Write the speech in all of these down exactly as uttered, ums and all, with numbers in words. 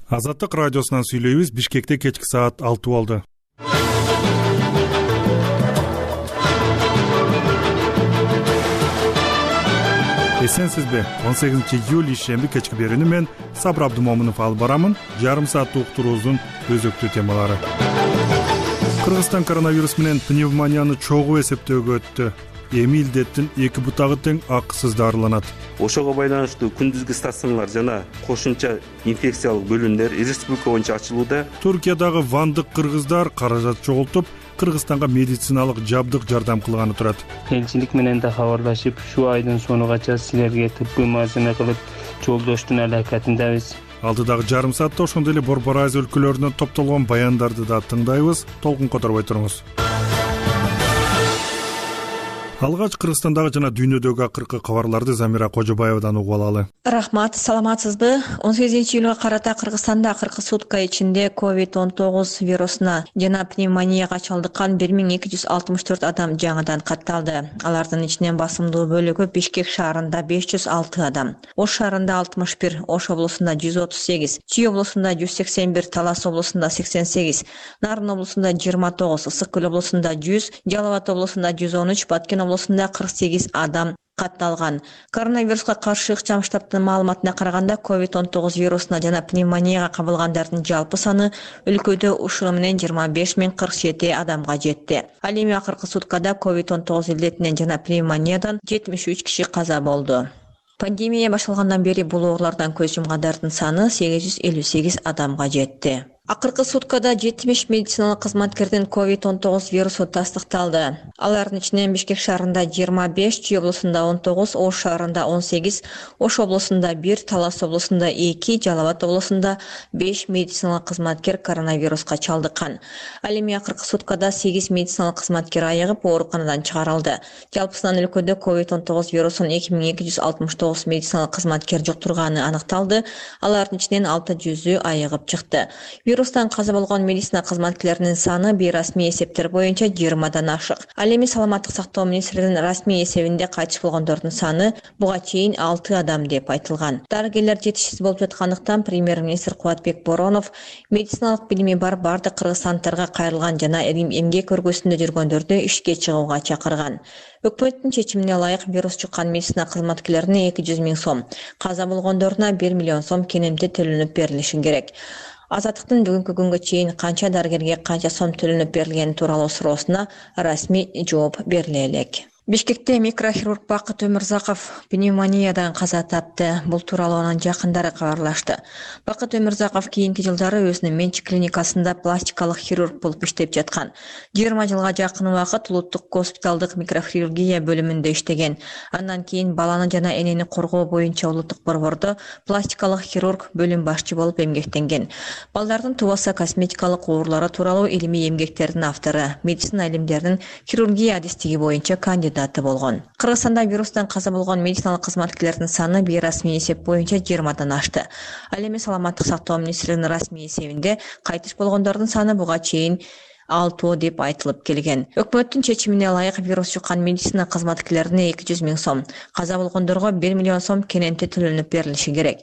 Азаттык радиосунан сүйлөйбүз. Бишкекте кечки саат алты болду. Эсенсизби? он сегизинчи июль ишемби кечки берүүнү мен Сабыр Абдумомунов алып барамын. Жарым сааттык уктуруубуздун өзөктүү темалары. Кыргызстан коронавирус менен пневмонияны чогуу эсептөөгө өттү. Эми илдеттин эки бутагы тең акысыз дарыланат. Ошого байланыштуу күндүзгү стационарлар жана кошумча инфекциялык бөлүмдөр республика боюнча ачылууда. Туркиядагы вандык кыргыздар каражат чогултуп, Кыргызстанга медициналык жабдык жардам кылганы турат. Элчилик менен да кабарлашып, ушу айдын сонугача силерге тыпкы мазына кылып жолдоштун аракетиндебиз. Алдыдагы жарым саатта ошондой эле Борбор Азия өлкөлөрүнөн топтолгон баяндарды да тыңдайбыз. Толкун которбой туруңуз. Алгач Кыргызстандагы жана дүйнөдөгү акыркы кабарларды Замира Кожобаевадан угуп алалы. Рахмат, саламатсызбы? он сегизинчи июлга карата Кыргызстанда акыркы сутка ичинде ковид он тогуз вирусуна жана пневмонияга чалдыккан бир миң эки жүз алтымыш төрт адам жаңыдан катталды. Алардын ичинен басымдуу бөлүгү Бишкек шаарында беш жүз алты адам, Ош шаарында алтымыш бир, Ош облусунда жүз отуз сегиз, Чүй облусунда жүз сексен бир, Талас облусунда сексен сегиз, Нарын облусунда жыйырма тогуз, Ысык Көл облусунда жүз, Жалал Абад облусунда жүз он үч, Баткен облусунда кырк сегиз адам катталган. Коронавируска каршы ыкчам штабтын маалыматына караганда ковид он тогуз вирусуна жана пневмонияга кабылгандардын жалпы саны өлкөдө ушуну менен жыйырма беш миң кырк жети адамга жетти. Ал эми акыркы суткада ковид он тогуз илдетинен жана пневмониядан жетимиш үч киши каза болду. Пандемия башталгандан бери бул оорулардан көз жумгандардын саны сегиз жүз элүү сегиз адамга жетти. Акыркы суткада жетимиш медициналык кызматкердин ковид он тогуз вирусу тастыкталды. Алардын ичинен Бишкек шаарында жыйырма беш, Чүй облусунда он тогуз, Ош шаарында он сегиз, Ош облусунда бир, Талас облусунда эки, Жалал Абад облусунда беш медициналык кызматкер коронавируска чалдыккан. Ал эми акыркы суткада сегиз медициналык кызматкер айыгып ооруканадан чыгарылды. Жалпысынан өлкөдө ковид он тогуз вирусун эки миң эки жүз алтымыш тогуз медициналык кызматкер жуктурганы аныкталды. Алардын ичинен алты жүзү айыгып чыкты. Вирустан каза болгон медицина кызматкерлеринин саны бейрасмий эсептер боюнча жыйырмадан ашык. Ал эми саламаттык сактоо министрлигинин расмий эсебинде кайтыш болгондордун саны буга чейин алты адам деп айтылган. Дарыгерлер жетишсиз болуп жаткандыктан премьер-министр Кубатбек Боронов медициналык билими бар бардык кыргызстандыктарга кайрылган жана эмгек өргөсүндө жүргөндөрдү ишке чыгууга чакырган. Өкмөттүн чечимине ылайык вирус жуккан медицина кызматкерлерине эки жүз миң сом, каза болгондоруна бир миллион сом кенемти төлөнүп берилиши керек. Азаттыктын бүгүнкү күнгө чейин канча дарыгерге канча сом төлөнүп берилгени тууралуу суроосуна расмий жооп бериле элек. Бишкекте микрохирург Бакыт Өмүрзаков пневмониядан каза тапты. Бул тууралуу анын жакындары кабарлашты. Бакыт Өмүрзаков кийинки жылдары өзүнүн менчик клиникасында пластикалык хирург болуп иштеп жаткан. жыйырма жылга жакын убакыт улуттук госпиталдык микрохирургия бөлүмүндө иштеген. Андан кийин баланы жана энени коргоо боюнча улуттук борбордо пластикалык хирург бөлүм башчы болуп эмгектенген. Балдардын тубаса косметикалык оорулары тууралуу илимий эмгектердин автору, медицина илимдеринин хирургия адистиги боюнча кандидат болгон. Кыргызстанда вирустан каза болгон медициналык кызматкерлердин саны бейрасмий эсеп боюнча жыйырмадан ашты. Ал эми саламаттык сактоо министрлигинин расмий эсебинде кайтыш болгондордун саны буга чейин алты деп айтылып келген. Өкмөттүн чечимине ылайык вирус жуккан медицина кызматкерлерине эки жүз миң сом, каза болгондорго бир миллион сом кенемти төлөнүп берилиши керек.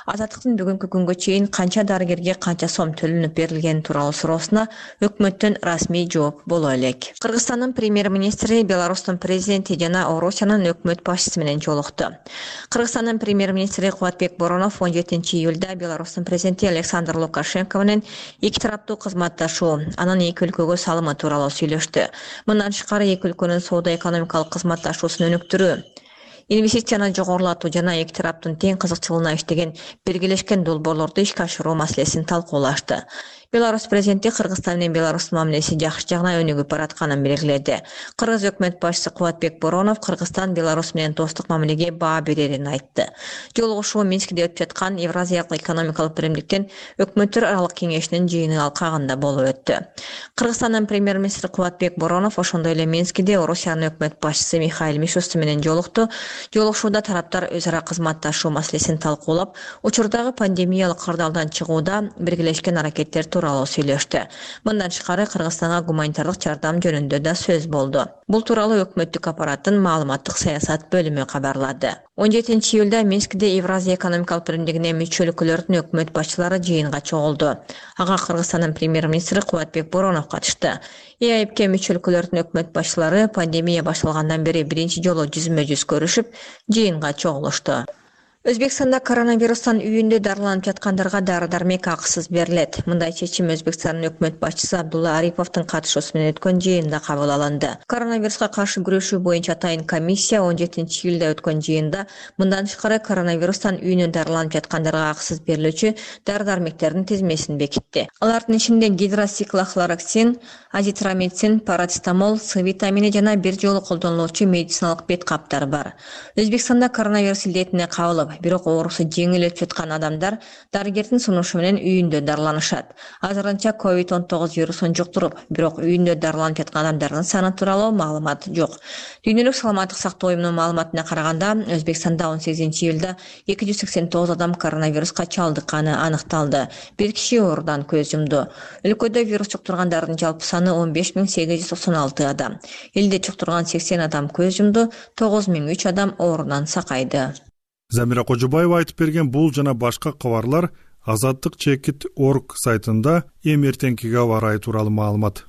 Азаттыктын бүгүнкү күнгө чейин канча дарыгерге канча сом төлөнүп берилгени тууралуу суроосуна өкмөттөн расмий жооп боло элек. Кыргызстандын премьер-министри Беларустун президенти жана Орусиянын өкмөт башчысы менен жолукту. Кыргызстандын премьер-министри Кубатбек Боронов он жетинчи июлда Беларустун президенти Александр Лукашенко менен эки тараптуу кызматташуу, анын эки өлкөгө салымы тууралуу сүйлөштү. Мындан тышкары эки өлкөнүн соода-экономикалык кызматташуусун өнүктүрүү, инвестицияны жогорулатуу жана эки тараптын тең кызыкчылыгына иштеген биргелешкен долбоорлорду ишке ашыруу маселесин талкуулашты. Беларусь президенти Кыргызстан менен Беларустун мамилеси жакшы жагына өнүгүп баратканын белгиледи. Кыргыз өкмөт башчысы Кубатбек Боронов Кыргызстан Беларусь менен достук мамилеге баа берерин айтты. Жолугушуу Минскиде өтүп жаткан Евразиялык экономикалык биримдиктин өкмөттөр аралык кеңешинин жыйыны алкагында болуп өттү. Кыргызстандын премьер-министри Кубатбек Боронов ошондой эле Минскиде Орусиянын өкмөт башчысы Михаил Мишустин менен жолукту. Жолугушууда тараптар өз ара кызматташуу маселесин талкуулап, учурдагы пандемиялык кырдаалдан чыгууда биргелешкен аракеттер тууралуу сүйлөштү. Мындан тышкары Кыргызстанга гуманитардык жардам жөнүндө да сөз болду. Бул тууралуу өкмөттүк аппараттын маалыматтык саясат бөлүмү кабарлады. он жетинчи июлда Минскте Евразия экономикалык биримдигине мүчө өлкөлөрдүн өкмөт башчылары жыйынга чогулду. Ага Кыргызстандын премьер-министри Кубатбек Боронов катышты. И А И Б'ке мүчө өлкөлөрдүн өкмөт башчылары пандемия башталгандан бери биринчи жолу жүзмө-жүз көрүшүп, жыйынга чогулушту. Өзбекстанда коронавирустан үйүндө дарыланып жаткандарга дары-дармек акысыз берилет. Мындай чечим Өзбекстандын өкмөт башчысы Абдулла Ариповдун катышуусу менен өткөн жыйында кабыл алынды. Коронавируска каршы күрөшүү боюнча атайын комиссия он жетинчи июлда өткөн жыйында мындан тышкары коронавирустан үйүнөн дарыланып жаткандарга акысыз берилүүчү дары-дармектердин тизмесин бекитти. Алардын ичинде гидросиклохлороксин, азитромицин, парацетамол, С витамини жана бир жолу колдонулуучу медициналык бет каптар бар. Өзбекстанда коронавирус илдетине кабылып, бирок оорусу жеңил өтүп жаткан адамдар дарыгердин сунушу менен үйүндө дарыланышат. Азырынча ковид он тогуз вирусун жуктуруп, бирок үйүндө дарыланып жаткан адамдардын саны тууралуу маалымат жок. Дүйнөлүк саламаттык сактоо уюмунун маалыматына караганда, Өзбекстанда он сегизинчи июлда эки жүз сексен тогуз адам коронавируска чалдыкканы аныкталды. Бир киши оорудан көз жумду. Өлкөдө вирус жуктургандардын жалпы саны он беш миң сегиз жүз токсон алты адам. Элде жуктурган сексен адам көз жумду, тогуз миң үч адам оорудан сакайды. Замира Кожубаева айтып берген бул жана башка кабарлар азаттык чекит точка орг сайтында эми эртеңкиге аба ырайы тууралуу маалымат.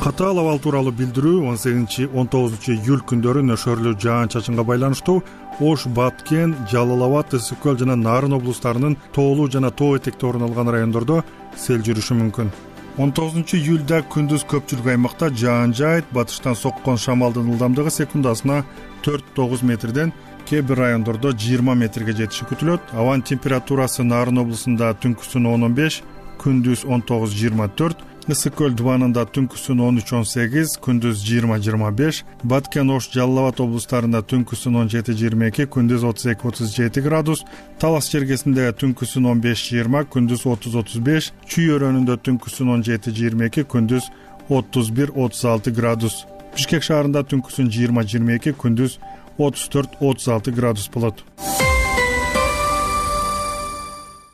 Катаал абал тууралуу билдирүү он сегизинчи он тогузунчу июль күндөрү нөшөрлүү жаан-чачынга байланыштуу Ош, Баткен, Жалал Абад, Ысык көл жана Нарын облустарынын тоолуу жана тоо этекте орун алган райондордо сел жүрүшү мүмкүн. он тогузунчу июлда күндүз көпчүлүк аймакта жаан жаайт, батыштан соккон шамалдын ылдамдыгы секундасына төрт тогуз метрден, кээ бир райондордо жыйырма метрге жетиши күтүлөт. Абанын температурасы Нарын облусунда түнкүсүн он он беш, күндүз он тогуз жыйырма төрт, Ысык көл дубанында түнкүсүн он үч он сегиз, күндүз жыйырма жыйырма беш, Баткен, Ош, Жалал Абад облустарында түнкүсүн он жети жыйырма эки, күндүз отуз эки отуз жети градус, Талас жергесинде түнкүсүн он беш жыйырма, күндүз отуз отуз беш, Чүй өрөөнүндө түнкүсүн он жети жыйырма эки, күндүз отуз бир отуз алты градус. Бишкек шаарында түнкүсүн жыйырма жыйырма эки, күндүз отуз төрт отуз алты градус болот.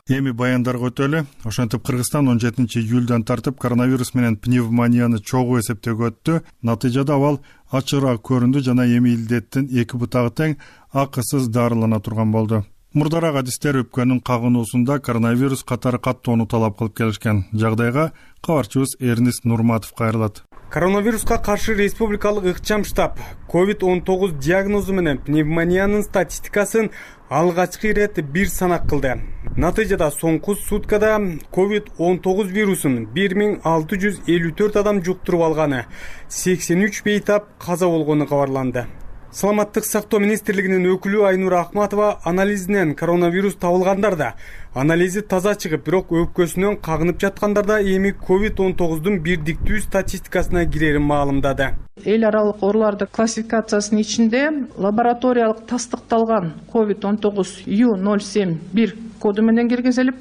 Эми баяндарга өтөлү. Ошентип Кыргызстан он жетинчи июлдан тартып коронавирус менен пневмонияны чогуу эсептөөгө өттү. Натыйжада абал ачыгыраак көрүндү жана эми илдеттин эки бутагы тең акысыз дарылана турган болду. Мурдараак адистер өпкөнүн кагынуусунда коронавирус катары каттоону талап кылып келишкен. Жагдайга кабарчыбыз Эрнис Нурматов кайрылат. Коронавируска каршы республикалык ыкчам штаб ковид он тогуз диагнозу менен пневмониянын статистикасын алгачкы ирет бир санак кылды. Натыйжада соңку суткада ковид он тогуз вирусун бир миң алты жүз элүү төрт адам жуктуруп алганы, сексен үч бейтап каза болгону кабарланды. Саламаттык сактоо министрлигинин өкүлү Айнура Акматова анализинен коронавирус табылгандар да анализи таза чыгып, бирок өпкөсүнөн кагынып жаткандар да эми ковид он тогуздун бирдиктүү статистикасына кирерин маалымдады. Эл аралык ооруларды классификациясынын ичинде лабораториялык тастыкталган ковид он тогуз ю ноль семь бир коду менен киргизилип,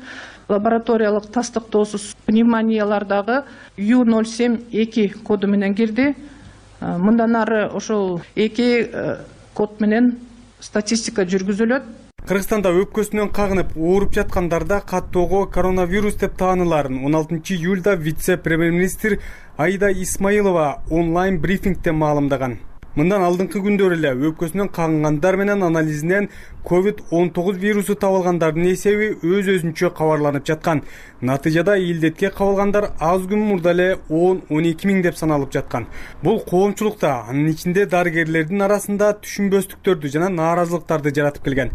лабораториялык тастыктоосуз пневмониялардагы ю ноль семь эки коду менен кирди. Мындан ары ошол эки код менен статистика жүргүзүлөт. Кыргызстанда өпкөсүнөн кагынып ооруп жаткандарда каттоого коронавирус деп тааныларын он алтынчы июлда вице-премьер-министр Аида Исмаилова онлайн брифингде маалымдаган. Мындан алдыңкы күндөр эле өпкөсүнөн кагынгандар менен анализинен ковид он тогуз вирусу табылгандардын эсеби өз-өзүнчө кабарланып жаткан. Натыйжада илдетке кабылгандар аз күн мурда эле он он эки миң деп саналып жаткан. Бул коомчулукта, анын ичинде дарыгерлердин арасында түшүнбөстүктөрдү жана нааразылыктарды жаратып келген.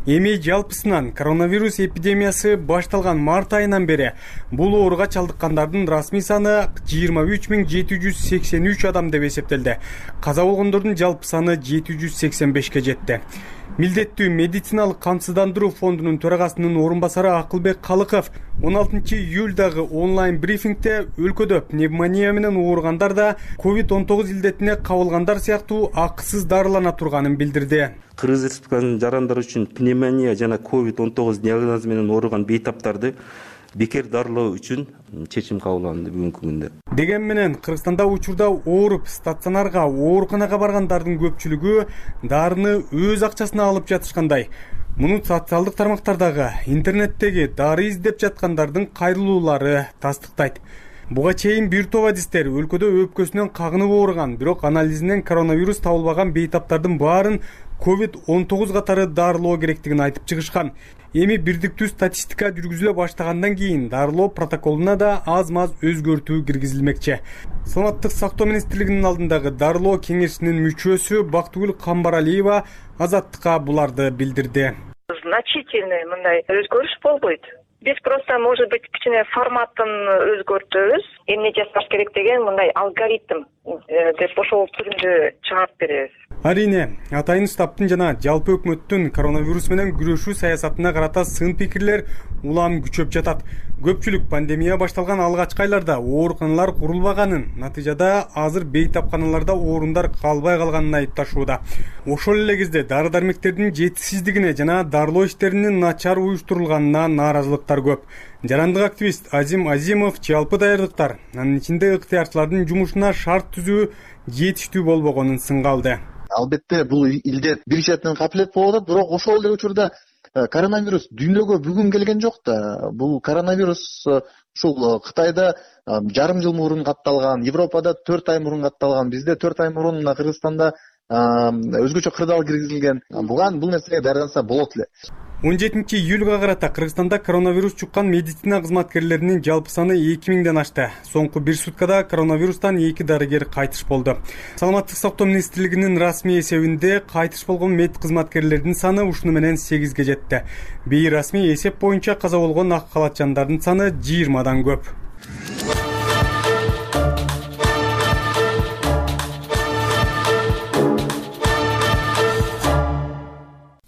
Эми жалпысынан коронавирус эпидемиясы башталган март айынан бери бул ооруга чалдыккандардын расмий саны жыйырма үч миң жети жүз сексен үч адам деп эсептелди. Каза болгондордун жалпы саны жети жүз сексен бешке жетти. Милдеттүү медициналык камсыздандыруу фондунун төрагасынын орун басары Акылбек Калыков он алтынчы июлдагы онлайн брифингде өлкөдө пневмония менен ооругандар да ковид он тогуз илдетине кабылгандар сыяктуу акысыз дарылана турганын билдирди. Кыргыз Республикасынын жарандары үчүн пневмония жана ковид он тогуз диагнозу менен ооруган бейтаптарды бекер дарылоо үчүн чечим кабыл алынды бүгүнкү күндө. Деген менен Кыргызстанда учурда ооруп стационарга, ооруканага баргандардын көпчүлүгү дарыны өз акчасына алып жатышкандай. Муну социалдык тармактардагы, интернеттеги дары издеп жаткандардын кайрылуулары тастыктайт. Буга чейин бир топ адистер өлкөдө өпкөсүнөн кагынып ооруган, бирок анализинен коронавирус табылбаган бейтаптардын баарын ковид он тогуз катары дарылоо керектигин айтып чыгышкан. Эми бирдиктүү статистика жүргүзүлө баштагандан кийин дарылоо протоколуна да аз-маз өзгөртүү киргизилмекчи. Саламаттык сактоо министрлигинин алдындагы дарылоо кеңешинин мүчөсү Бактыгүл Камбаралиева Азаттыкка буларды билдирди. Значительный мындай өзгөрүш болбойт. Биз просто, может быть, кичине форматын өзгөртөбүз. Эмне жасаш керек деген мындай алгоритм деп ошол түрүндө чыгарып беребиз. Арине, атайын штабтын жана жалпы өкмөттүн коронавирус менен күрөшүү саясатына карата сын пикирлер улам күчөп жатат. Көпчүлүк пандемия башталган алгачкы айларда ооруканалар курулбаганын, натыйжада азыр бейтапканаларда орундар калбай калганын айыпташууда. Ошол эле кезде дары-дармектердин жетишсиздигине жана дарылоо иштеринин начар уюштурулганына нааразылыктар көп. Жарандык активист Азим Азимов жалпы даярдыктар, анын ичинде ыктыярчылардын жумушуна шарт түзүү жетиштүү болбогонун сынга алды. Албетте бул илдет бир четинен капилет болуп атат, бирок ошол эле учурда коронавирус дүйнөгө бүгүн келген жок да. Бул коронавирус ушул Кытайда жарым жыл мурун катталган, Европада төрт ай мурун катталган, бизде төрт ай мурун Кыргызстанда өзгөчө кырдаал киргизилген. Буган бул нерсеге даярданса болот эле. он жетинчи июлга карата Кыргызстанда коронавирус чуккан медицина кызматкерлеринин жалпы саны эки миңден ашты. Соңку бир суткада коронавирустан эки дарыгер кайтыш болду. Саламаттык сактоо министрлигинин расмий эсебинде кайтыш болгон мед кызматкерлердин саны ушуну менен сегизге жетти. Бейрасмий эсеп боюнча каза болгон ак калаччандардын саны жыйырмадан көп.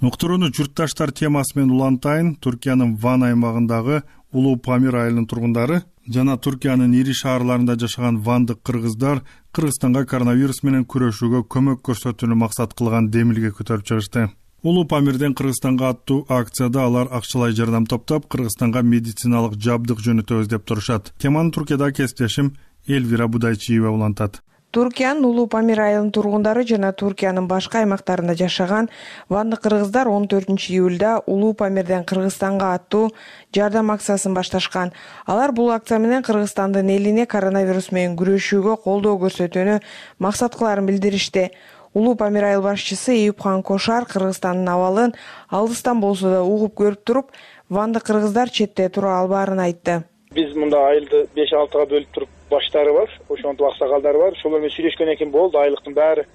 Уктурууну журтташтар темасы менен улантайын. Түркиянын Ван аймагындагы Улуу Памир айылынын тургундары жана Түркиянын ири шаарларында жашаган вандык кыргыздар Кыргызстанга коронавирус менен күрөшүүгө көмөк көрсөтүүнү максат кылган демилге көтөрүп чыгышты. Улуу Памирден Кыргызстанга аттуу акцияда алар акчалай жардам топтоп, Кыргызстанга медициналык жабдык жөнөтөбүз деп турушат. Теманы Түркияда кесиптешим Элвира Будайчиева улантат. Түркиянын Улуу Памир айылынын тургундары жана Түркиянын башка аймактарында жашаган вандык кыргыздар он төртүнчү июлда Улуу Памирден Кыргызстанга аттуу жардам акциясын башташкан. Алар бул акция менен Кыргызстандын элине коронавирус менен күрөшүүгө колдоо көрсөтүүнү максат кыларын билдиришти. Улуу Памир айыл башчысы Эюпхан Кошар Кыргызстандын абалын алыстан болсо да угуп көрүп туруп, вандык кыргыздар четте тура албаарын айтты. Биз мында айылды беш алтыга бөлүп туруп баштары бар, ошонтип аксакалдары бар. Ошолор менен сүйлөшкөн экен болду, айлыктын баары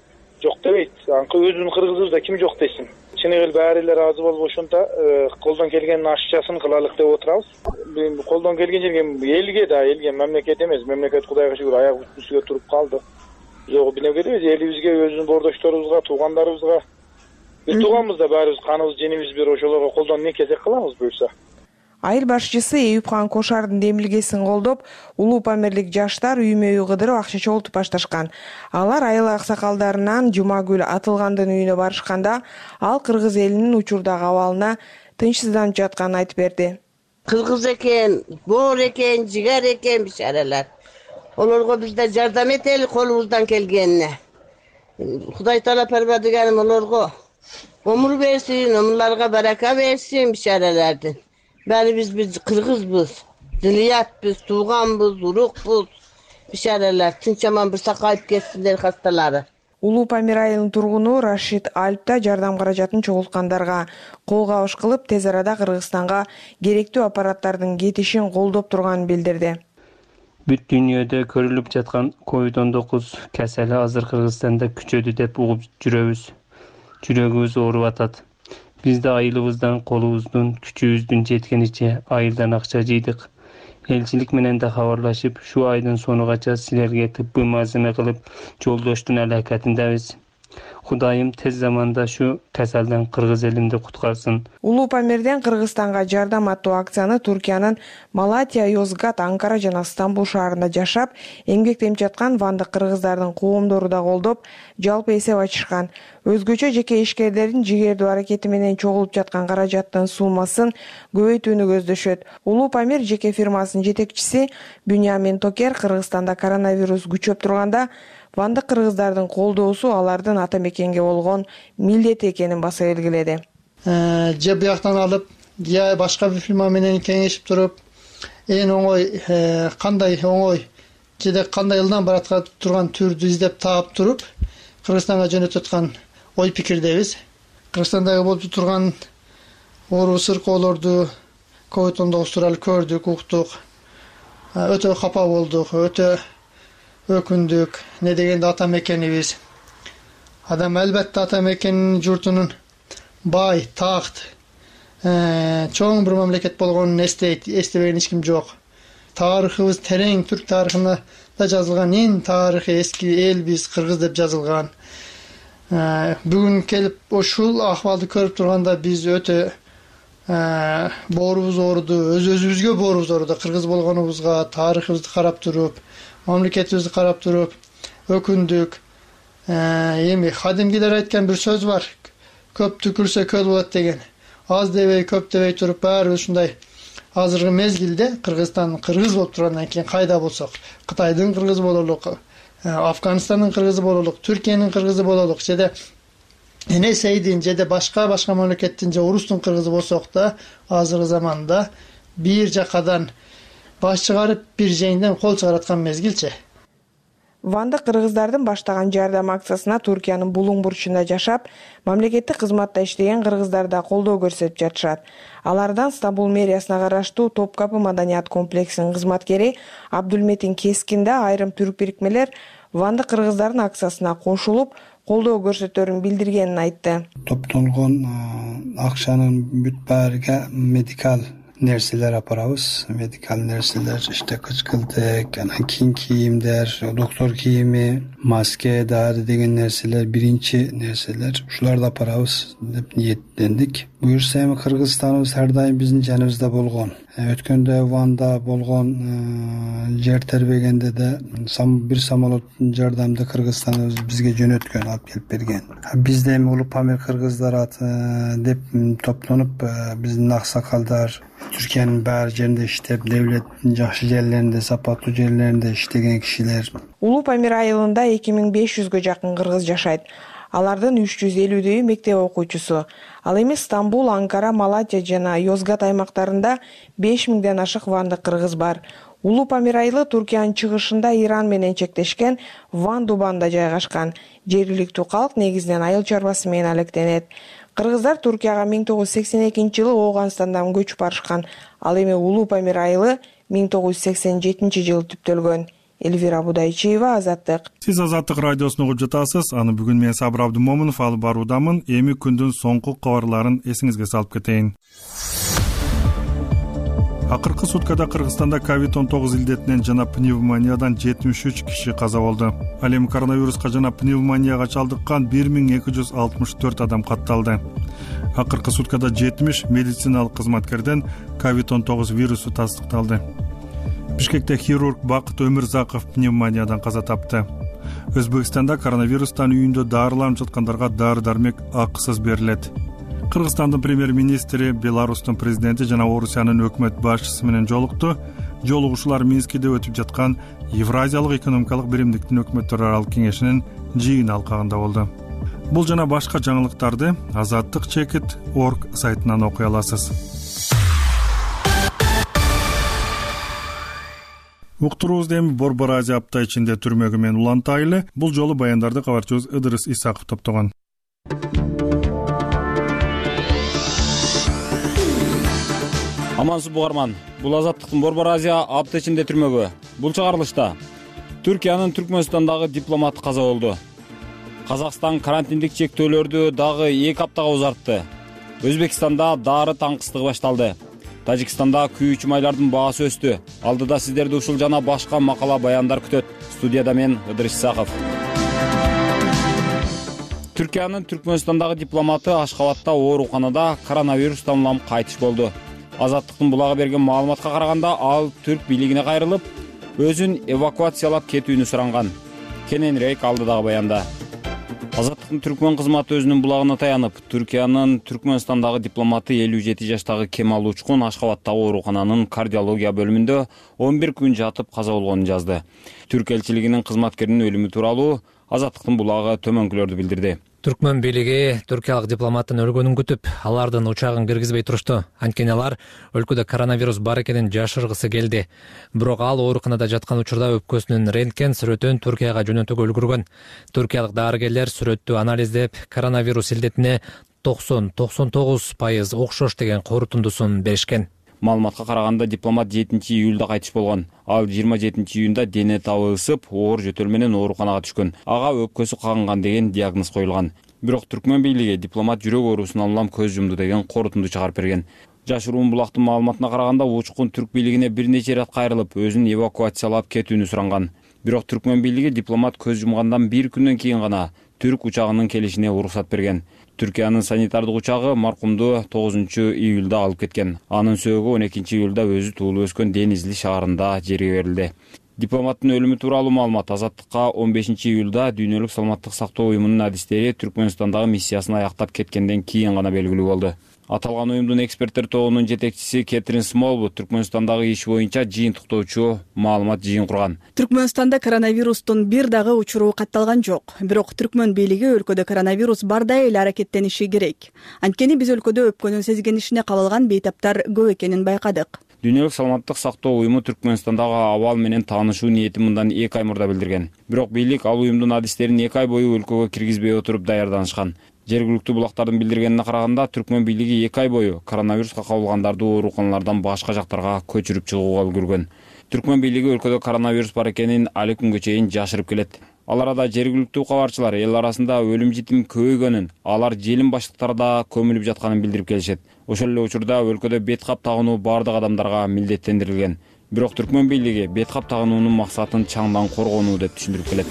жок дебейт. Анкы өзүбүздүн кыргызыбызда ким жок десин. Чыны эле баары эле ыраазы болуп ошонто колдон келген ашчасын кылалык деп отурабыз. Колдон келген жерге элге да, элге мамлекет эмес, мамлекет Кудайга шүгүр аяк үстүгө туруп калды. Биз ого бинегедебиз, элибизге, өзүбүздүн бордошторубузга, туугандарыбызга, биз тууганбыз да, баарыбыз каныбыз, женибиз бир, ошолорго колдон эмне кезек кылабыз буюрса. Айыл башчысы Эюпхан Кошардын демилгесин колдоп, Улуу Памирлик жаштар үймө-үй кыдырып акча чогултуп башташкан. Алар айыл аксакалдарынан Жумагүл Атылгандын үйүнө барышканда, ал кыргыз элинин учурдагы абалына тынчсызданып жатканын айтып берди. Кыргыз экен, боор экен, жигер экен бишаралар. Олорго бизде жардам этели колубуздан келгенине. Кудай таала Парвардигарым олорго өмүр берсин, өмүрлөргө барака берсин бишаралардын. Бәрібіз біз қырғызбыз, зілиятбыз, туғанбыз, урукбыз, бишаралар, тынчаман бір сақайып кетсіндер хасталары. Улуу Памир айылынын тургуну Рашид Альпта жардам каражатын чогулткандарга кол кабыш кылып, тез арада Кыргызстанга керектүү аппараттардын кетишин колдоп турганын билдирди. Бүт дүйнөдө көрүлүп жаткан ковид он тогуз кесели азыр Кыргызстанда күчөдү деп угуп жүрөбүз. Жүрөгүбүз ооруп атат. Биз да айылыбыздан, колубуздун, күчүбүздүн жеткениче айылдан акча жыйдык. Элчилик менен да кабарлашып, шу айдын сонугача силерге тыббый мазыма кылып жолдоштун аракетиндебиз. Кудайым тез заманда шу кеселден кыргыз элимди куткарсын. Улуу Памирден Кыргызстанга жардам аттуу акцияны Түркиянын Малатия, Йозгат, Анкара жана Стамбул шаарында жашап, эмгектенип жаткан вандык кыргыздардын коомдору да колдоп, жалпы эсеп ачышкан. Өзгөчө жеке ишкерлердин жигердүү аракети менен чогулуп жаткан каражаттын суммасын көбөйтүүнү көздөшөт. Улуу Памир жеке фирмасынын жетекчиси Бюнямин Токер Кыргызстанда коронавирус күчөп турганда, вандык кыргыздардын колдоосу алардын ата мекенге болгон милдети экенин баса белгиледи. же бияктан алып же башка бир фирма менен кеңешип туруп эң оңой кандай оңой жеде кандай ылдам бараткан турган түрдү издеп таап туруп Кыргызстанга жөнөтүп аткан ой пикирдебиз. Кыргызстандагы болуп турган оору сыркоолорду ковид он тогуз тууралуу көрдүк, уктук. Өтө капа болдук, өтө өкүндүк. Не дегенде ата мекенибиз. Адам албетте ата мекенинин журтунун бай, такт, чоң бир мамлекет болгонун эстейт, эстебеген эч ким жок. Тарыхыбыз терең, түрк тарыхында да жазылган эң тарыхый эски элбиз, кыргыз деп жазылган. Бүгүн келип ушул акыбалды көрүп турганда биз өтө боорубуз ооруду, өз өзүбүзгө боорубуз ооруду. Кыргыз болгонубузга тарыхыбызды карап туруп, мамлекетибизди карап туруп өкүндүк. Эми кадимгилер айткан бир сөз бар. Көп түкүрсө көл болот деген. Аз дебей, көп дебей туруп баары ушундай азыркы мезгилде Кыргызстан кыргыз болуп тургандан кийин кайда болсок, Кытайдын кыргызы бололук, Афганистандын кыргызы бололук, Түркиянын кыргызы бололук, жеде Энесейдин, жеде башка башка мамлекеттин же орустун кыргызы болсок да, азыркы заманда бир жакадан баш чыгарып, бир жеңден кол чыгараткан мезгилчи. Ванда кыргыздардын баштаган жардам акциясына Туркиянын Булуң бурчунда жашап, мамлекеттик кызматта иштеген кыргыздар да колдоо көрсөтүп жатышат. Алардан Стамбул мэриясына караштуу Топкапы маданият комплексинин кызматкери Абдулметин Кескин да айрым түрк бирикмелер Ванда кыргыздардын акциясына кошулуп, колдоо көрсөтөрүн билдиргенин айтты. Топтолгон акчанын бүт баарыга медикал нерселер апарабыз. Медикал нерселер işte кычкылдык, анан кийин кийимдер, доктор кийими, маска, дары деген нерселер биринчи нерселер. Ушуларды апарабыз деп ниеттендик. Буюрса эми Кыргызстаныбыз ар дайым биздин жаныбызда болгон. Өткөндө Ванда болгон жер тербегенде де бир самолоттун жардамды Кыргызстаныбыз бизге жөнөткөн, алып келип берген. Биз да эми Улуу Памир кыргыздар деп топтонуп, биздин аксакалдар Түркиянын баар жеринде иштеп, девлеттин жакшы жерлеринде, сапаттуу жерлеринде иштеген кишилер. Улуу Памир айылында эки миң беш жүзгө жакын кыргыз жашайт. Алардын үч жүз элүүдөйү мектеп окуучусу. Ал эми Стамбул, Анкара, Малатия жана Йозгат аймактарында беш миңден ашык вандык кыргыз бар. Улуу Памир айылы Туркиянын чыгышында Иран менен чектешкен Ван Дубанда жайгашкан. Жергиликтүү калк негизинен айыл чарбасы менен алектенет. Кыргыздар Туркияга миң тогуз жүз сексен экинчи жылы Ооганстандан көчүп барышкан. Ал эми Улуу Памир айылы миң тогуз жүз сексен жетинчи жылы түптөлгөн. Элвира Будайчиева, Азаттык. Сиз Азаттык радиосун угуп жатасыз. Аны бүгүн мен Сабыр Абдымомунов алып баруудамын. Эми күндүн соңку кабарларын эсиңизге салып кетейин. Акыркы суткада Кыргызстанда ковид он тогуз илдетинен жана пневмониядан жетимиш үч киши каза болду. Ал эми коронавируска жана пневмонияга чалдыккан бир миң эки жүз алтымыш төрт адам катталды. Акыркы суткада жетимиш медициналык кызматкерден ковид он тогуз вирусу тастыкталды. Бишкекте хирург Бакыт Өмүрзаков пневмониядан каза тапты. Өзбекстанда коронавирустан үйүндө дарыланып жаткандарга дары-дармек акысыз берилет. Кыргызстандын премьер-министри Беларустун президенти жана Орусиянын өкмөт башчысы менен жолукту. Жолугушуулар Минскиде өтүп жаткан Евразиялык экономикалык биримдиктин өкмөттөр аралык кеңешинин жыйын алкагында болду. Бул жана башка жаңылыктарды азаттык чекит точка орг сайтынан окуй аласыз. Уктуруубузду эми Борбор Азия апта ичинде түрмөгү менен улантайлы. Бул жолу баяндарды кабарчыбыз Ыдырыс Исаков топтогон. Амансыз бугарман. Бул Азаттыктын Борбор Азия апта ичинде түрмөгү. Бул чыгарылышта Түркиянын Түркмөнстандагы дипломаты каза болду. Казакстан карантиндик чектөөлөрдү дагы эки аптага узартты. Өзбекстанда дары таңкыстыгы башталды. Тажикстанда күйүүчү майлардын баасы өстү. Алдыда сиздерди ушул жана башка макала баяндар күтөт. Студияда мен Ыдырыс Исаков. Түркиянын Түркмөнстандагы дипломаты Ашкабадта ооруканада коронавирустан улам кайтыш болду. Азаттыктын булагы берген маалыматка караганда ал түрк бийлигине кайрылып, өзүн эвакуациялап кетүүнү суранган. Кененирээк алдыдагы баянда. Азаттыктын түркмөн кызматы өзүнүн булагына таянып, Түркиянын Түркмөнстандагы дипломаты элүү жети жаштагы Кемал Учкун Ашкабадтагы оорукананын кардиология бөлүмүндө он бир күн жатып каза болгонун жазды. Түрк элчилигинин кызматкеринин өлүмү тууралуу Азаттыктын булагы төмөнкүлөрдү билдирди. Түркмөн бийлиги түркиялык дипломаттын өлгөнүн күтүп, алардын учагын киргизбей турушту. Анткени алар өлкөдө коронавирус бар экенин жашыргысы келди. Бирок ал ооруканада жаткан учурда өпкөсүнүн рентген сүрөтүн Түркияга жөнөтүүгө үлгүргөн. Түркиялык дарыгерлер сүрөттү анализдеп, коронавирус илдетине токсон токсон тогуз пайыз окшош деген корутундусун беришкен. Маалыматка караганда дипломат жетинчи июлда кайтыш болгон. Ал жыйырма жетинчи июнда дене табы ысып, оор жөтөл менен ооруканага түшкөн. Ага өпкөсү кагынган деген диагноз коюлган. Бирок Түркмөн бийлиги дипломат жүрөк оорусунан улам көз жумду деген корутунду чыгарып берген. Жашыруун булактын маалыматына караганда учкун түрк бийлигине бир нече ирет кайрылып, өзүн эвакуациялап кетүүнү суранган. Бирок Түркмөн бийлиги дипломат көз жумгандан бир күндөн кийин гана түрк учагынын келишине уруксат берген. Түркиянын санитардык учагы маркумду тогузунчу июлда алып кеткен. Анын сөөгү он экинчи июлда өзү туулуп өскөн Денизли шаарында жерге берилди. Дипломаттын өлүмү тууралуу маалымат Азаттыкка он бешинчи июлда Дүйнөлүк саламаттык сактоо уюмунун адистери Түркмөнстандагы миссиясын аяктап кеткенден кийин гана белгилүү болду. Аталган уюмдун эксперттер тобунун жетекчиси Кетрин Смолвуд Түркмөнстандагы иш боюнча жыйынтыктоочу маалымат жыйын курган. Түркмөнстанда коронавирустун бир дагы учуру катталган жок. Бирок Түркмөн бийлиги өлкөдө коронавирус бардай эле аракеттениши керек. Анткени биз өлкөдө өпкөнүн сезгенишине кабылган бейтаптар көп экенин байкадык. Дүйнөлүк саламаттык сактоо уюму Түркмөнстандагы абал менен таанышуу ниетин мындан эки ай мурда билдирген. Бирок бийлик ал уюмдун адистерин эки ай бою өлкөгө киргизбей отуруп даярданышкан. Жергиликтүү булактардын билдиргенине караганда, Түркмөн бийлиги эки ай бою коронавируска кабылгандарды ооруканалардан башка жактарга көчүрүп чыгууга үлгүргөн. Түркмөн бийлиги өлкөдө коронавирус бар экенин али күнгө чейин жашырып келет. Ал арада жергиликтүү кабарчылар эл арасында өлүм житим көбөйгөнүн, алар желим баштыктарда көмүлүп жатканын билдирип келишет. Ошол эле учурда өлкөдө бет кап тагынуу бардык адамдарга милдеттендирилген. Бирок Түркмөн бийлиги бет кап тагынуунун максатын чаңдан коргонуу деп түшүндүрүп келет.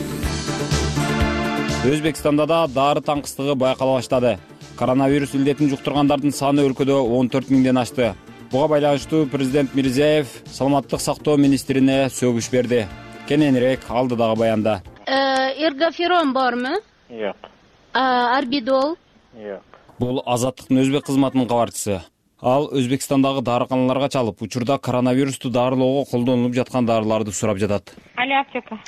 Өзбекстанда да дары таңкыстыгы байкала баштады. Коронавирус илдетин жуктургандардын саны өлкөдө он төрт миңден ашты. Буга байланыштуу президент Мирзиеев саламаттык сактоо министрине сөгүш берди. Кененирээк алдыдагы баянда. Эргоферон бармы? Жок. Арбидол? Жок. Бул Азаттыктын өзбек кызматынын кабарчысы. Ал Өзбекстандагы дарыканаларга чалып, учурда коронавирусту дарылоого колдонулуп жаткан дарыларды сурап жатат. Али аптека.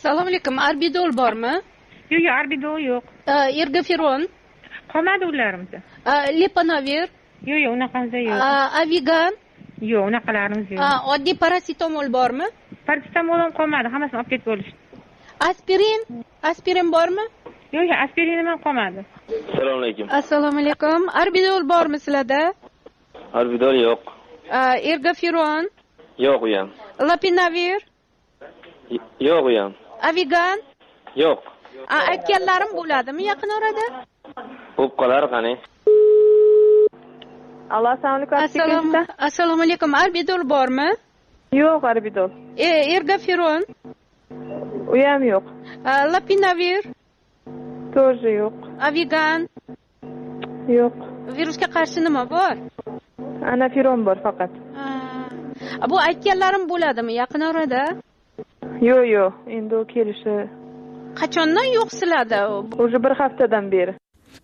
Салам алейкум, арбидол бармы? Жок, жок, арбидол жок. Эргоферон? Калмады уларыбызда. Лепановир? Жок, жок, унакабызда жок. Авиган? Жок, унакаларыбыз жок. Одди параситомол бармы? Параситомол калмады, хаммасын алып кетип болушту. Аспирин? Аспирин бармы? Жок, жок, аспирин менен калмады. Assalomu alaykum. Assalomu alaykum. Arbidol bormi sizlarda? Arbidol yo'q. Ergoferon? Yo'q u ham. Lopinavir? Yo'q u ham. Avigan? Yo'q. Aytganlarim bo'ladimi yaqin orada? Bo'lib qolar qani. Allo, assalomu alaykum. Assalomu alaykum. Arbidol bormi? Yo'q, arbidol. Ergoferon? U ham yo'q. Lopinavir? Тоже yo'q. Avigan? Yo'q. Virusga qarshi nima bor? Anafiron bor faqat. Bu aytganlarim bo'ladimi yaqin orada? Yo'q, yo'q. Endi u kelishi. Qachondan yo'q sizlarda? Уже bir haftadan beri.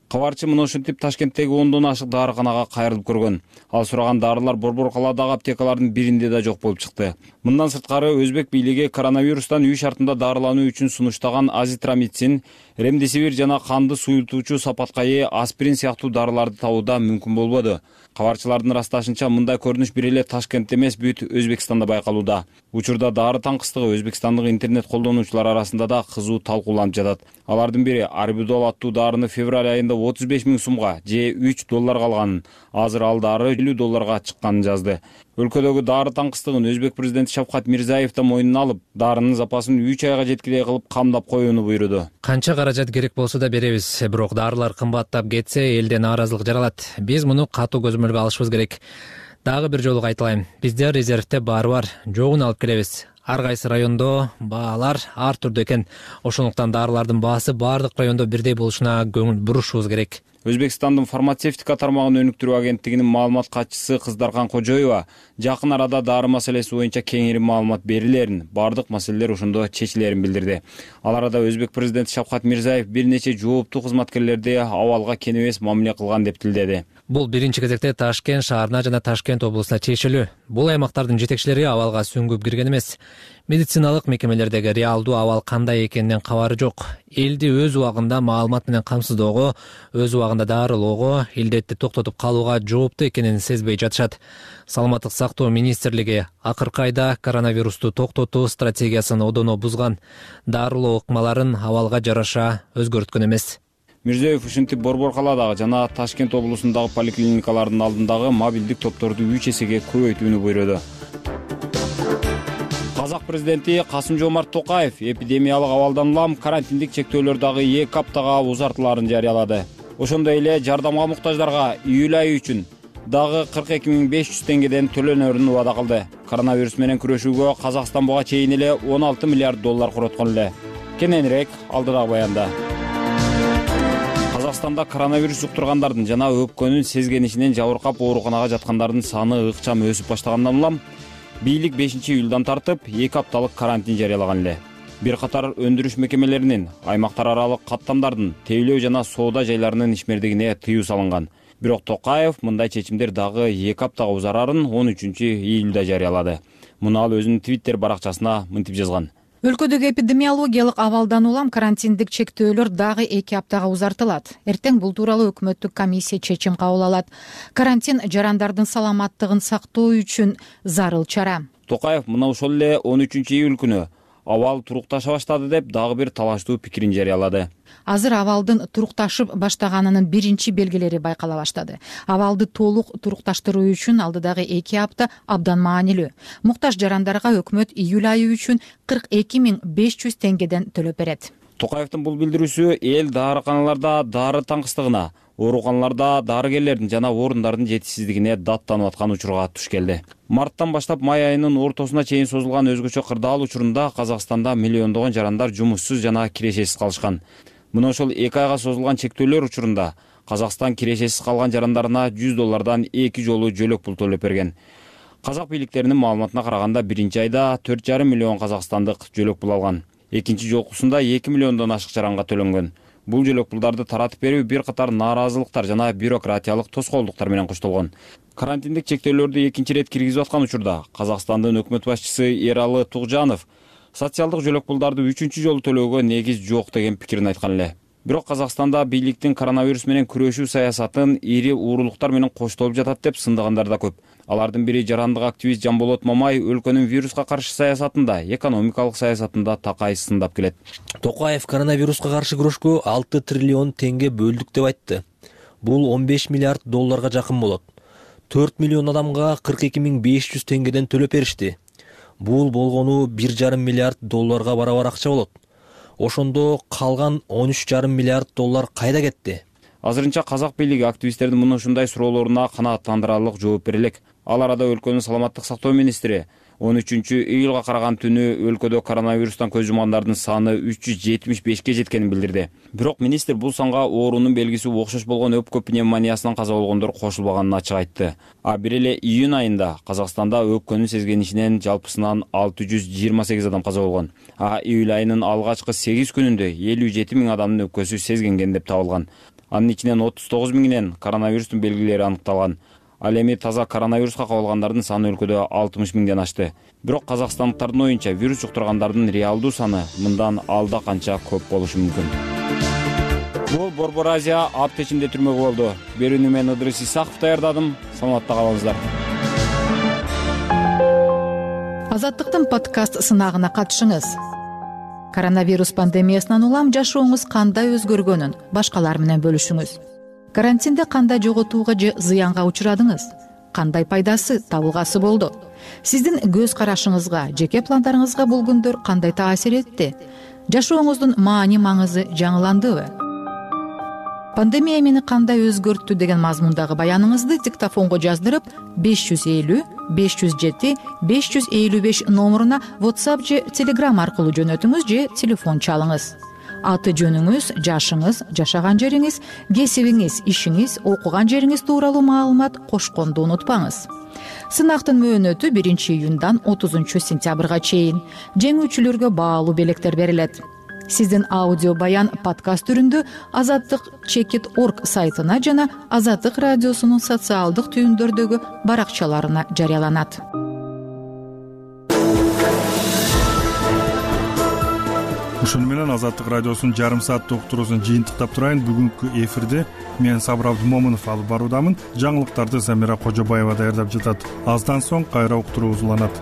Кабарчы мына ушинтип Ташкенттеги ондон ашык дарыканага кайрылып көргөн. Ал сураган дарылар Борбор калаадагы аптекалардын биринде да жок болуп чыкты. Мындан сырткары өзбек бийлиги коронавирустан үй шартында дарылануу үчүн сунуштаган азитромицин, ремдесивир жана канды суюлтуучу сапаткайы, аспирин сыяктуу дарыларды табууда мүмкүн болбоду. Кабарчылардын ырасташынча, мындай көрүнүш бир эле Ташкентте эмес, бүт Өзбекстанда байкалууда. Учурда дары таңкыстыгы Өзбекстандык интернет колдонуучулар арасында да кызуу талкууланып жатат. Алардын бири арбидол аттуу дарыны февраль айында отуз беш миң сумга же үч долларга алганын, азыр ал дары элүү долларга чыкканын жазды. Өлкөдөгү дары таңкыстыгын өзбек президенти Шавкат Мирзиеев да мойнуна алып, дарынын запасын үч айга жеткилей кылып камдап коюуну буйруду. Канча каражат керек болсо да беребиз, бирок дарылар кымбаттап кетсе, элде нааразылык жаралат. Биз муну катуу көзөмөлгө алышыбыз керек. Дагы бир жолу кайталайм. Бизде резервте баары бар, жогун алып келебиз. Ар кайсы райондо баалар ар түрдүү экен. Ошондуктан дарылардын баасы баардык райондо бирдей болушуна көңүл бурушубуз керек. Өзбекстандын фармацевтика тармагын өнүктүрүү агенттигинин маалымат катчысы Кыздаркан Кожоева жакын арада дары маселеси боюнча кеңири маалымат берилерин, бардык маселелер ошондо чечилерин билдирди. Ал арада өзбек президенти Шавкат Мирзиеев бир нече жооптуу кызматкерлерди абалга кең эмес мамиле кылган деп тилдеди. Бул биринчи кезекте Ташкент шаарына жана Ташкент облусуна тиешелүү. Бул аймактардын жетекчилери абалга сүңгүп кирген эмес. Медициналык мекемелердеги реалдуу абал кандай экенинен кабары жок. Элди өз убагында маалымат менен камсыздоого, өз убагында дарылоого, илдетти токтотуп калууга жоопту экенин сезбей жатышат. Саламаттык сактоо министрлиги акыркы айда коронавирусту токтотуу стратегиясын одоно бузган. Дарылоо ыкмаларын абалга жараша өзгөрткөн эмес. Мирзиёев ушинтип Борбор калаадагы жана Ташкент облусундагы поликлиникалардын алдындагы мобилдик топторду үч эсеге көбөйтүүнү буйруду. Казак президенти Касым-Жомарт Токаев эпидемиялык абалдан улам карантиндик чектөөлөр дагы эки аптага узартылаарын жарыялады. Ошондой эле жардамга муктаждарга июль айы үчүн дагы кырк эки миң беш жүз теңгеден төлөнөрүн убада кылды. Коронавирус менен күрөшүүгө Казакстан буга чейин эле он алты миллиард доллар короткон эле. Кененирээк алдыдагы баянда. Казакстанда коронавирус жуктургандардын жана өпкөнүн сезгенишинен жабыркап ооруканага жаткандардын саны ыкчам өсүп баштагандан улам бийлик бешинчи июлдан тартып эки апталык карантин жарыялаган эле. Бир катар өндүрүш мекемелеринин аймактар аралык каттамдардын тейлөө жана соода жайларынын ишмердигине тыюу салынган. Бирок Токаев мындай чечимдер дагы эки аптага узарарын он үчүнчү июлда жарыялады. Муну ал өзүнүн Твиттер баракчасына мынтип жазган. Өлкөдөгү эпидемиологиялык абалдан улам карантиндик чектөөлөр дагы эки аптага узартылат. Эртең бул тууралуу өкмөттүк комиссия чечим кабыл алат. Карантин жарандардын саламаттыгын сактоо үчүн зарыл чара. Токаев мына ошол эле он үчүнчү июль күнү абал турукташа баштады деп дагы бир талаштуу пикирин жарыялады. Азыр абалдын турукташып баштаганынын биринчи белгилери байкала баштады. Абалды толук турукташтыруу үчүн алдыдагы эки апта абдан маанилүү. Муктаж жарандарга өкмөт июль айы үчүн кырк эки миң беш жүз теңгеден төлөп берет. Токаевдин бул билдирүүсү эл дарыканаларда дары таңкыстыгына, ооруканаларда дарыгерлердин жана орундардын жетишсиздигине даттанып аткан учурга туш келди. Марттан баштап май айынын ортосуна чейин созулган өзгөчө кырдаал учурунда Казакстанда миллиондогон жарандар жумушсуз жана кирешесиз калышкан. Мына ошол эки айга созулган чектөөлөр учурунда Казакстан кирешесиз калган жарандарына жүз доллардан эки жолу жөлөк пул төлөп берген. Казак бийликтеринин маалыматына караганда биринчи айда төрт жарым миллион казакстандык жөлөк пул алган. Экинчи жолкусунда эки миллиондон ашык жаранга төлөнгөн. Бул жөлөк пулдарды таратып берүү бир катар нааразылыктар жана бюрократиялык тоскоолдуктар менен коштолгон. Карантиндик чектөөлөрдү экинчи ирет киргизип аткан учурда Казакстандын өкмөт башчысы Эралы Тугжанов социалдык жөлөк пулдарды үчүнчү жолу төлөөгө негиз жок деген пикирин айткан эле. Бирок Казакстанда бийликтин коронавирус менен күрөшүү саясатын ири уурулуктар менен коштолуп жатат деп сындыгандар да көп. Алардын бири жарандык активист Жамболот Мамай өлкөнүн вируска каршы саясатында, экономикалык саясатында такай сындап келет. Токаев коронавируска каршы күрөшкө алты триллион теңге бөлдүк деп айтты. Бул он беш миллиард долларга жакын болот. төрт миллион адамга кырк эки миң беш жүз теңгеден төлөп беришти. Бул болгону бир жарым миллиард долларга барабар акча болот. Ошондо калган он үч жарым миллиард доллар кайда кетти? Азырынча казак бийлиги активисттердин мына ушундай суроолоруна канааттандырарлык жооп бере элек. Ал арада өлкөнүн саламаттык сактоо министри он үчүнчү июлга караган түнү өлкөдө коронавирустан көз жумгандардын саны үч жүз жетимиш бешке жеткенин билдирди. Бирок министр бул санга оорунун белгиси окшош болгон өпкө пневмониясынан каза болгондор кошулбаганын ачык айтты. А бир эле июнь айында Казакстанда өпкөнүн сезгенишинен жалпысынан алты жүз жыйырма сегиз адам каза болгон. А июль айынын алгачкы сегиз күнүндө элүү жети миң адамдын өпкөсү сезгенген деп табылган. Анын ичинен отуз тогуз миңинен коронавирустун белгилери аныкталган. Ал эми таза коронавируска кабылгандардын саны өлкөдө алтымыш миңден ашты. Бирок казакстандыктардын оюнча вирус жуктургандардын реалдуу саны мындан алда канча көп болушу мүмкүн. Бул Борбор Азия аптечинде түрмөгү болду. Берүүнү мен Ыдырыс Исаков даярдадым. Саламатта калыңыздар. Азаттыктын подкаст сынагына катышыңыз. Коронавирус пандемиясынан улам жашооңуз кандай өзгөргөнүн башкалар менен бөлүшүңүз. Карантинде кандай жоготууга же зыянга учурадыңыз? Кандай пайдасы, табылгасы болду? Сиздин көз карашыңызга, жеке пландарыңызга бул күндөр кандай таасир этти? Жашооңуздун маани маңызы жаңыландыбы? Пандемия мени кандай өзгөрттү деген мазмундагы баяныңызды диктофонго жаздырып беш жүз элүү беш жүз жети беш жүз элүү беш номуруна WhatsApp же Telegram аркылуу жөнөтүңүз же телефон чалыңыз. Аты жөнүңүз, жашыңыз, жашаган жериңиз, кесибиңиз, ишиңиз, окуган жериңиз тууралуу маалымат кошконду унутпаңыз. Сынактын мөөнөтү биринчи июндан отузунчу сентябрга чейин. Жеңүүчүлөргө баалуу белектер берилет. Сиздин аудио баян подкаст түрүндө азаттык чекит точка орг сайтына жана Азаттык радиосунун социалдык түйүндөрдөгү баракчаларына жарыяланат. ошону менен Азаттык радиосунун жарым сааттык уктуруусун жыйынтыктап турайын. Бүгүнкү эфирде мен Сабыр Абдымомунов алып баруудамын. Жаңылыктарды Самира Кожобаева даярдап жатат. Аздан соң кайра уктуруубуз уланат.